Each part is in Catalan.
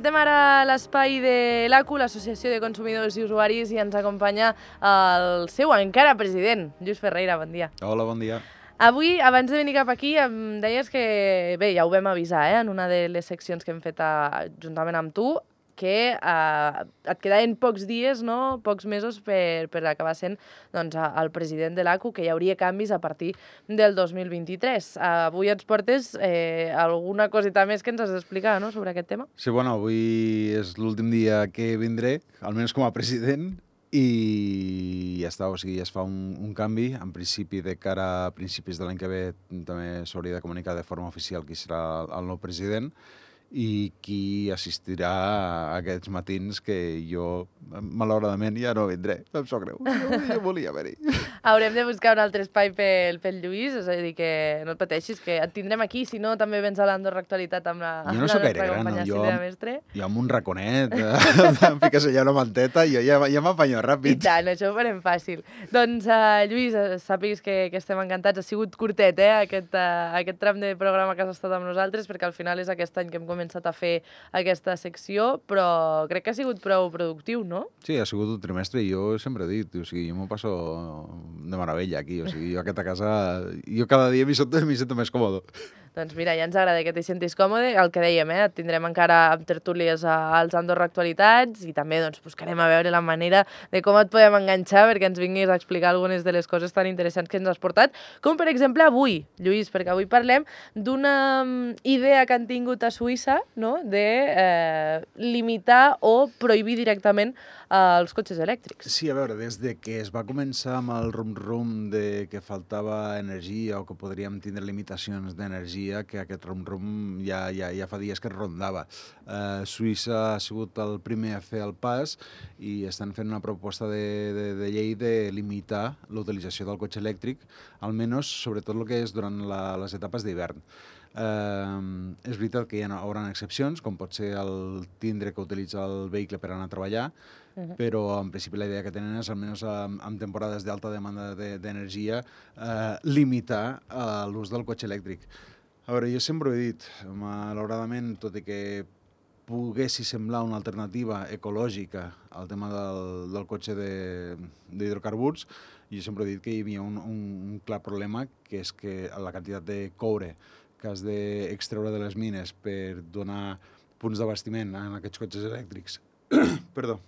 Encetem ara l'espai de l'ACU, l'Associació de Consumidors i Usuaris, i ens acompanya el seu encara president, Lluís Ferreira, bon dia. Hola, bon dia. Avui, abans de venir cap aquí, em deies que, bé, ja ho vam avisar, en una de les seccions que hem fet juntament amb tu, que et quedaven pocs dies, no? Pocs mesos per acabar sent el president de l'ACU, que hi hauria canvis a partir del 2023. Avui ens portes alguna coseta més que ens has d'explicar, no?, sobre aquest tema. Sí, bueno, avui és l'últim dia que vindré, almenys com a president, i ja està, o sigui, ja es fa un canvi. En principi, de cara a principis de l'any que ve, també s'hauria de comunicar de forma oficial qui serà el nou president i qui assistirà a aquests matins que jo, malauradament, ja no vindré. Em sap greu. Jo volia venir. Haurem de buscar un altre espai pel Lluís, és a dir, que no et pateixis, que et tindrem aquí, si no, també vens a l'Andorra Actualitat amb la Jo no sóc gaire gran, no? Jo amb un raconet, em fiques allà una manteta, jo ja m'apanyo ràpid. I tant, això ho farem fàcil. Doncs, Lluís, sàpigues que estem encantats. Ha sigut curtet, aquest tram de programa que has estat amb nosaltres, perquè al final és aquest any que hem començat a fer aquesta secció, però crec que ha sigut prou productiu, no? Sí, ha sigut un trimestre i jo sempre he dit, o sigui, jo m'ho passo de meravella aquí, o sigui, jo aquesta casa, jo cada dia m'hi sento més còmode. Doncs mira, ja ens agrada que t'hi sentis còmode. El que dèiem, et tindrem encara amb tertúlies als Andorra Actualitats i també buscarem a veure la manera de com et podem enganxar perquè ens vinguis a explicar algunes de les coses tan interessants que ens has portat, com per exemple avui, Lluís, perquè avui parlem d'una idea que han tingut a Suïssa, no?, de limitar o prohibir directament els cotxes elèctrics. Sí, a veure, des de que es va començar amb el rum-rum de que faltava energia o que podríem tindre limitacions d'energia, que aquest rum-rum ja fa dies que es rondava. Suïssa ha sigut el primer a fer el pas i estan fent una proposta de llei de limitar l'utilització del cotxe elèctric, almenys sobretot el que és durant les etapes d'hivern. És veritat que hi haurà excepcions, com pot ser el tindre que utilitza el vehicle per anar a treballar, però en principi la idea que tenen és, almenys en temporades d'alta demanda d'energia, limitar l'ús del cotxe elèctric. A veure, jo sempre ho he dit, malauradament, tot i que poguessi semblar una alternativa ecològica al tema del cotxe d'hidrocarburs, jo sempre he dit que hi havia un clar problema, que és que la quantitat de coure que has d'extreure de les mines per donar punts d'abastiment en aquests cotxes elèctrics, perdó,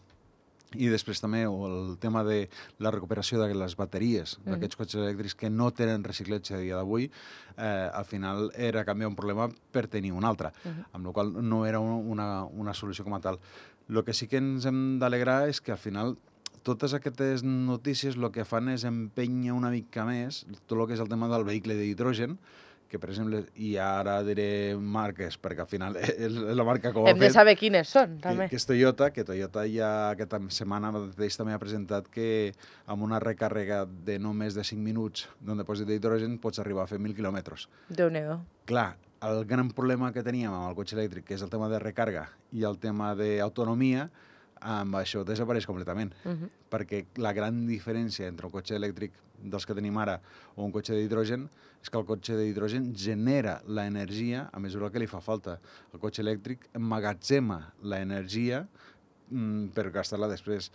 i després també el tema de la recuperació de les bateries d'aquests cotxes elèctrics que no tenen reciclatge a dia d'avui, al final era canviar un problema per tenir un altre, amb la qual cosa no era una solució com a tal. El que sí que ens hem d'alegrar és que al final totes aquestes notícies el que fan és empènyer una mica més tot el que és el tema del vehicle d'hidrogen, que, per exemple, i ara diré marques, perquè al final és la marca que ho ha fet. Hem de saber quines són, també. Que és Toyota, que Toyota ja aquesta setmana mateix també ha presentat que amb una recàrrega de no més de 5 minuts d'un dipòsit d'hidrogen pots arribar a fer 1.000 quilòmetres. Déu-n'hi-do. Clar, el gran problema que teníem amb el cotxe elèctric, que és el tema de recàrrega i el tema d'autonomia, amb això desapareix completament, perquè la gran diferència entre un cotxe elèctric dels que tenim ara o un cotxe d'hidrogen és que el cotxe d'hidrogen genera l'energia a mesura que li fa falta. El cotxe elèctric emmagatzema l'energia per gastar-la després.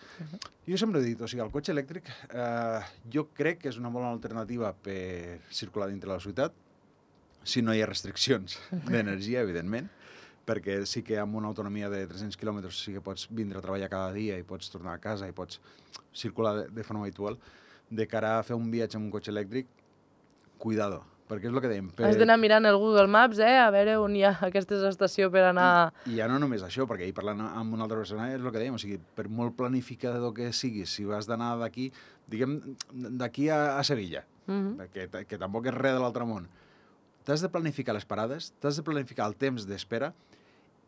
Jo sempre he dit, o sigui, el cotxe elèctric jo crec que és una bona alternativa per circular dintre la ciutat, si no hi ha restriccions d'energia, evidentment, perquè sí que amb una autonomia de 300 quilòmetres sí que pots vindre a treballar cada dia i pots tornar a casa i pots circular de forma habitual. De cara a fer un viatge amb un cotxe elèctric, cuidado, perquè és el que dèiem. Has d'anar mirant el Google Maps, a veure on hi ha aquesta estació per anar... I ja no només això, perquè ahir parlant amb una altra persona és el que dèiem, o sigui, per molt planificador que siguis, si vas d'anar d'aquí, diguem, d'aquí a Sevilla, que tampoc és res de l'altre món, t'has de planificar les parades, t'has de planificar el temps d'espera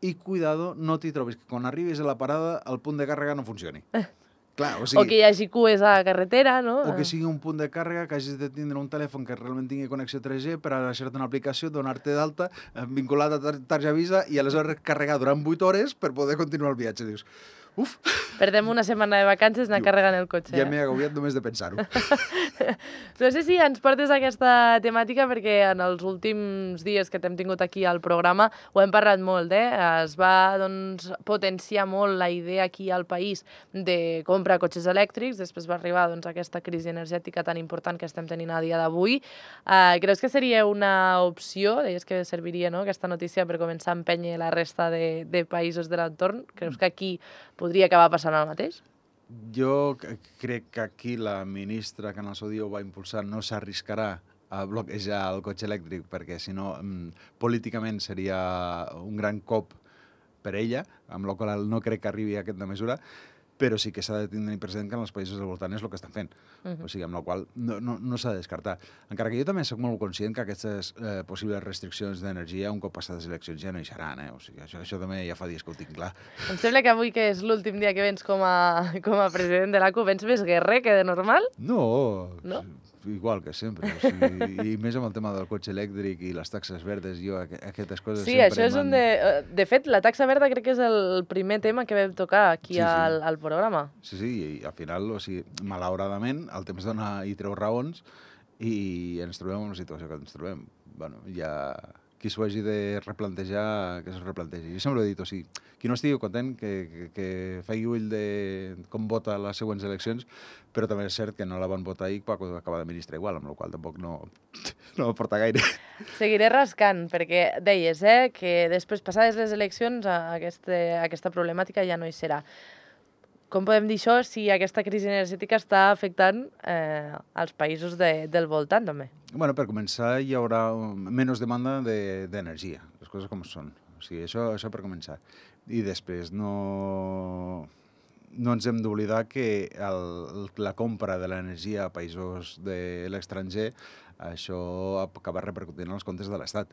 i, cuidado, no t'hi trobis que quan arribis a la parada el punt de càrrega no funcioni. Clar, o sigui, o que hi hagi cues a la carretera, no? O que sigui un punt de càrrega que hagis de tindre un telèfon que realment tingui connexió 3G per a deixar-te una aplicació, donar-te d'alta, vinculat a tarja Visa i aleshores carregar durant 8 hores per poder continuar el viatge. Dius, Uf! Perdem una setmana de vacances anar carregant el cotxe. Ja m'he agobiat només de pensar-ho. No sé si ens portes a aquesta temàtica perquè en els últims dies que t'hem tingut aquí al programa ho hem parlat molt, Es va doncs, potenciar molt la idea aquí al país de comprar cotxes elèctrics, després va arribar doncs, aquesta crisi energètica tan important que estem tenint a dia d'avui. Creus que seria una opció? Deies que serviria, no?, aquesta notícia per començar a empènyer la resta de països de l'entorn. Creus que aquí podria acabar passant el mateix? Jo crec que aquí la ministra que en el seu dia ho va impulsar no s'arriscarà a bloquejar el cotxe elèctric perquè, si no, políticament seria un gran cop per ella, amb la qual no crec que arribi a aquesta mesura, però sí que s'ha de tenir present que en els països del voltant és el que estan fent. O sigui, amb la qual no s'ha de descartar. Encara que jo també soc molt conscient que aquestes possibles restriccions d'energia, un cop passades les eleccions, ja no hi seran. O sigui, això també ja fa dies que ho tinc clar. Em sembla que avui, que és l'últim dia que vens com a president de l'ACU, vens més guerrer que de normal? No? Igual que sempre. O sigui, i més amb el tema del cotxe elèctric i les taxes verdes, jo aquestes coses sí, sempre... Sí, això és un de... De fet, la taxa verda crec que és el primer tema que vam tocar aquí al programa. Sí, i al final, o sigui, malauradament, el temps dona i treu raons i ens trobem en la situació que ens trobem. Bueno, ja... Qui s'ho hagi de replantejar, que s'ho replantegi. Jo sempre he dit, o sigui, qui no estigui content, que faci ull de com vota a les següents eleccions, però també és cert que no la van votar ahir quan acaba de ministre igual, amb la qual tampoc no aporta gaire. Seguiré rascant, perquè deies que després, passades les eleccions, aquesta problemàtica ja no hi serà. Com podem dir això si aquesta crisi energètica està afectant els països del voltant, també? Bueno, per començar, hi haurà menys demanda d'energia, les coses com són. O sigui, això per començar. I després no ens hem d'oblidar que la compra de l'energia a països de l'estranger, això acaba repercutint en els comptes de l'Estat.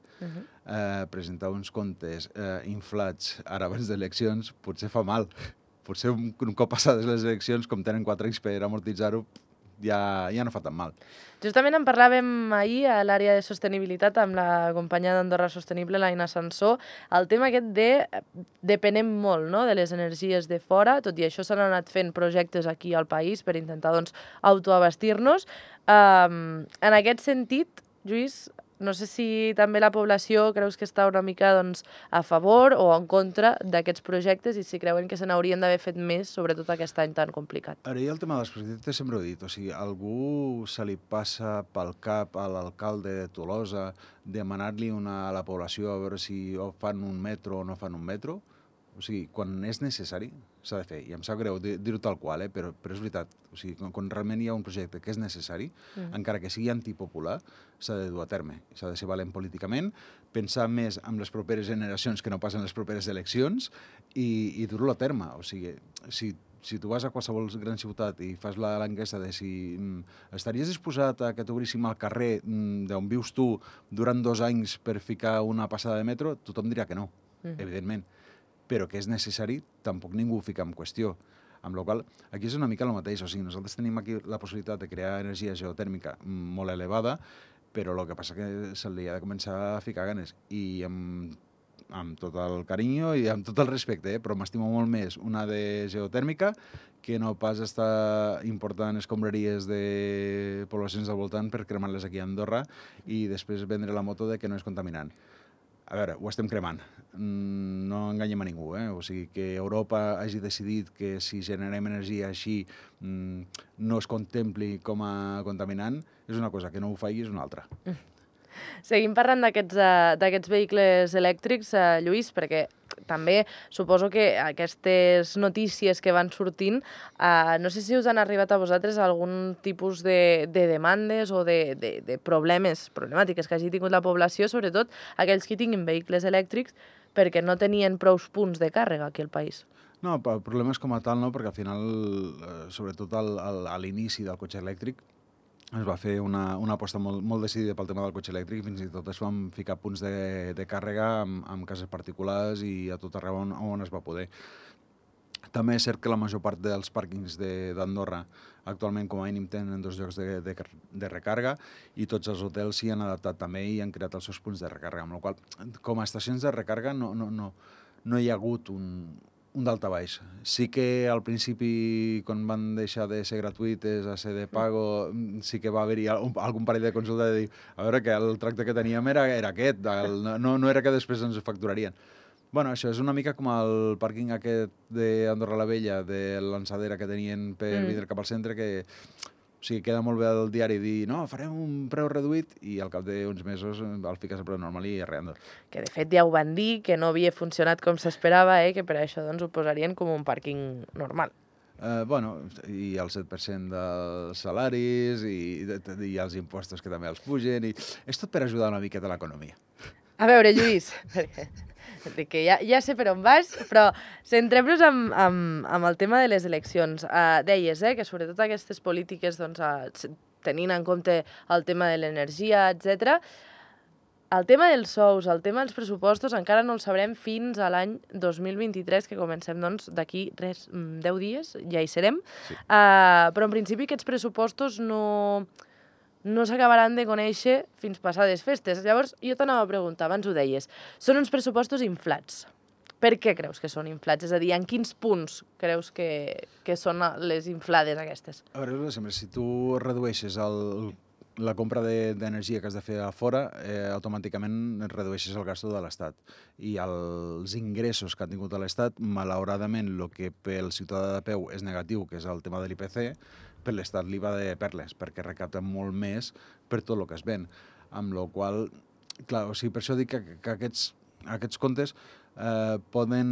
Presentar uns comptes inflats ara abans d'eleccions potser fa mal. Potser un cop passades les eleccions, com tenen 4 anys per amortitzar-ho, ja no fa tan mal. Justament en parlàvem ahir a l'àrea de sostenibilitat amb la companya d'Andorra Sostenible, l'Aina Sansó, el tema aquest depenem molt, no?, de les energies de fora, tot i això s'han anat fent projectes aquí al país per intentar doncs, autoabastir-nos. En aquest sentit, Lluís, no sé si també la població creus que està una mica doncs, a favor o en contra d'aquests projectes i si creuen que se n'haurien d'haver fet més, sobretot aquest any tan complicat. Ara, jo el tema dels projectes sempre ho he dit, o sigui, algú se li passa pel cap a l'alcalde de Tolosa demanar-li a la població a veure si fan un metro o no fan un metro? O sigui, quan és necessari, s'ha de fer. I em sap greu dir-ho tal qual, però és veritat. O sigui, quan realment hi ha un projecte que és necessari, encara que sigui antipopular, s'ha de dur a terme. S'ha de ser valent políticament, pensar més en les properes generacions que no pas en les properes eleccions i dur-lo a terme. O sigui, si tu vas a qualsevol gran ciutat i fas l'enquesta de si estaries disposat a que t'obríssim al carrer d'on vius tu durant 2 anys per ficar una passada de metro, tothom dirà que no, evidentment. Però que és necessari, tampoc ningú ho fica en qüestió. Amb la qual cosa, aquí és una mica el mateix. O sigui, nosaltres tenim aquí la possibilitat de crear energia geotèrmica molt elevada, però el que passa que se li ha de començar a ficar ganes. I amb tot el carinyo i amb tot el respecte, però m'estimo molt més una de geotèrmica que no pas estar important escombraries de poblacions al voltant per cremar-les aquí a Andorra i després vendre la moto de que no és contaminant. A veure, ho estem cremant, no enganyem a ningú, O sigui, que Europa hagi decidit que si generem energia així no es contempli com a contaminant, és una cosa, que no ho faci és una altra. Seguim parlant d'aquests vehicles elèctrics, Lluís, perquè també suposo que aquestes notícies que van sortint, no sé si us han arribat a vosaltres algun tipus de demandes o de problemàtiques que hagi tingut la població, sobretot aquells que tinguin vehicles elèctrics, perquè no tenien prous punts de càrrega aquí al país. No, problemes com a tal no, perquè al final, sobretot a l'inici del cotxe elèctric, es va fer una aposta molt decidida pel tema del cotxe elèctric, fins i tot es van ficar punts de càrrega amb cases particulars i a tot arreu on es va poder. També és cert que la major part dels pàrquings d'Andorra actualment com a mínim tenen 2 llocs de recàrrega i tots els hotels s'hi han adaptat també i han creat els seus punts de recàrrega, amb la qual cosa, com a estacions de recàrrega no hi ha hagut un un daltabaix. Sí que al principi, quan van deixar de ser gratuïtes a ser de pago, sí que va haver-hi algun parell de consulta de dir a veure que el tracte que teníem era aquest, no era que després ens ho facturarien. Bueno, això és una mica com el pàrquing aquest d'Andorra la Vella, de l'ençadera que tenien per vindre cap al centre, que o sigui, queda molt bé al diari dir no, farem un preu reduït i al cap d'uns mesos el fiques al preu normal i arreando. Que de fet ja ho van dir, que no havia funcionat com s'esperava, que per això doncs, ho posarien com un pàrquing normal. Bueno, i el 7% dels salaris i els impostos que també els pugen. És tot per ajudar una miqueta a l'economia. A veure, Lluís, que ja sé per on vas, però centrem-nos amb el tema de les eleccions. Deies que sobretot aquestes polítiques, doncs, tenint en compte el tema de l'energia, etc. El tema dels sous, el tema dels pressupostos, encara no el sabrem fins a l'any 2023, que comencem doncs, d'aquí 10 dies, ja hi serem. Sí. Però en principi aquests pressupostos no s'acabaran de conèixer fins passades festes. Llavors, jo t'anava a preguntar, abans ho deies, són uns pressupostos inflats. Per què creus que són inflats? És a dir, en quins punts creus que són les inflades aquestes? A veure, sempre, si tu redueixes la compra d'energia que has de fer a fora, automàticament redueixes el gasto de l'Estat. I els ingressos que ha tingut l'Estat, malauradament, el que pel ciutadà de peu és negatiu, que és el tema de l'IPC, per l'Estat li va de perles, perquè recapta molt més per tot el que es ven. Amb la qual clar, o sigui, per això dic que aquests comptes poden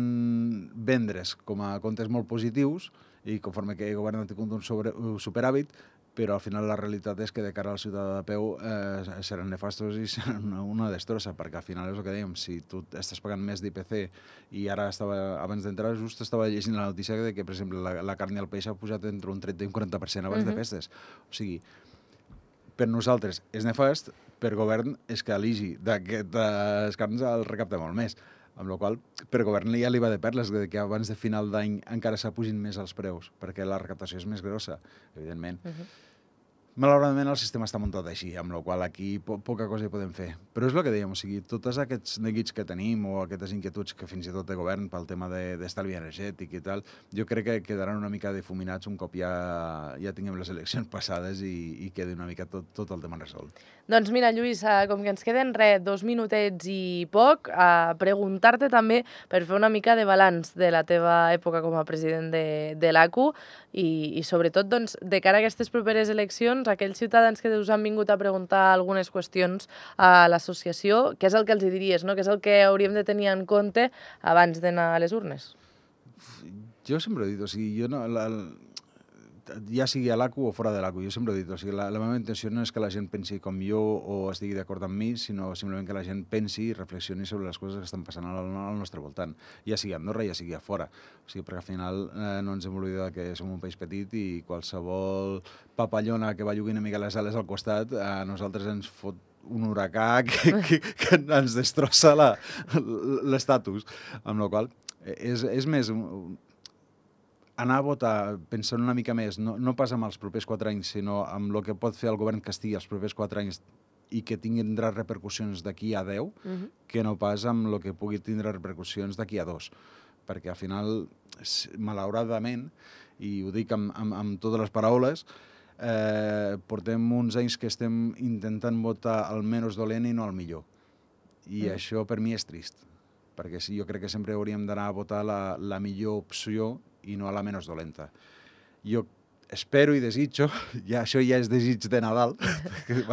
vendre's com a comptes molt positius i conforme que el govern ha tingut un superàvit, però al final la realitat és que de cara al ciutadà de peu seran nefastos i seran una destrossa, perquè al final és el que dèiem, si tu estàs pagant més d'IPC i ara abans d'entrar just estava llegint la notícia de que, per exemple, la carn i el peix ha pujat entre un 30 i un 40% abans de festes. O sigui, per nosaltres és nefast, per govern és que l'IGI d'aquestes carns el recapta molt més. Amb la qual cosa, per govern ja li va de perles, que abans de final d'any encara s'apugin més els preus, perquè la recaptació és més grossa, evidentment. Malauradament el sistema està muntat així, amb la qual cosa aquí poca cosa hi podem fer. Però és el que dèiem, o sigui, tots aquests neguits que tenim o aquestes inquietuds que fins i tot té govern pel tema d'estalvi energètic i tal, jo crec que quedaran una mica difuminats un cop ja tinguem les eleccions passades i quedi una mica tot el tema resolt. Doncs mira, Lluís, com que ens queden 2 minutets i poc, preguntar-te també per fer una mica de balanç de la teva època com a president de l'ACU i sobretot doncs, de cara a aquestes properes eleccions, aquells ciutadans que us han vingut a preguntar algunes qüestions a l'associació, què és el que els diries, no? Què és el que hauríem de tenir en compte abans d'anar a les urnes? Jo sempre he dit, o sigui, jo no... ja sigui a l'ACU o fora de l'ACU, jo sempre he dit, o sigui, la meva intenció no és que la gent pensi com jo o estigui d'acord amb mi, sinó simplement que la gent pensi i reflexioni sobre les coses que estan passant al nostre voltant, ja sigui a Andorra, ja sigui a fora. O sigui, perquè al final no ens hem oblidat que som un país petit i qualsevol papallona que va lluint una mica les ales al costat, a nosaltres ens fot un huracà que ens destrossa l'estatus. Amb la qual cosa, és més... anar a votar pensant una mica més, no pas amb els propers 4 anys, sinó amb el que pot fer el govern que estigui els propers 4 anys i que tindrà repercussions d'aquí a 10, que no pas amb el que pugui tindre repercussions d'aquí a 2. Perquè al final, malauradament, i ho dic amb totes les paraules, portem uns anys que estem intentant votar el menys dolent i no el millor. I això per mi és trist, perquè jo crec que sempre hauríem d'anar a votar la millor opció i no a la menys dolenta. Jo espero i desitjo, això ja és desig de Nadal,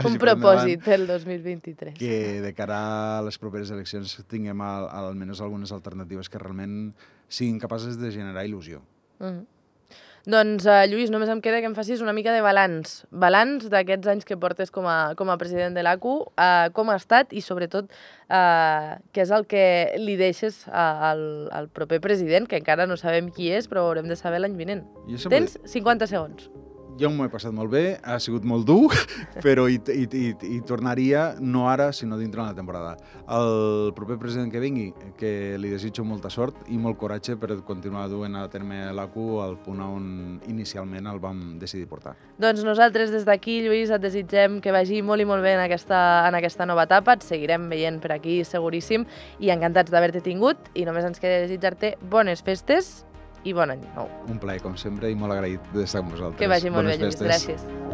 un propòsit del 2023. Que de cara a les properes eleccions tinguem almenys algunes alternatives que realment siguin capaces de generar il·lusió. Doncs, Lluís, només em queda que em facis una mica de balanç. Balanç d'aquests anys que portes com a president de l'ACU, com ha estat i, sobretot, què és el que li deixes al proper president, que encara no sabem qui és, però ho haurem de saber l'any vinent. Tens 50 segons. Jo m'ho he passat molt bé, ha sigut molt dur, però hi tornaria, no ara, sinó dintre de la temporada. El proper president que vingui, que li desitjo molta sort i molt coratge per continuar duent a terme l'ACU al punt on inicialment el vam decidir portar. Doncs nosaltres des d'aquí, Lluís, et desitgem que vagi molt i molt bé en aquesta nova etapa, et seguirem veient per aquí seguríssim i encantats d'haver-te tingut i només ens queda desitjar-te bones festes i bon any nou. Un plaer, com sempre, i molt agraït d'estar amb vosaltres. Que vagi molt bé, Lluís. Bones festes. Gràcies.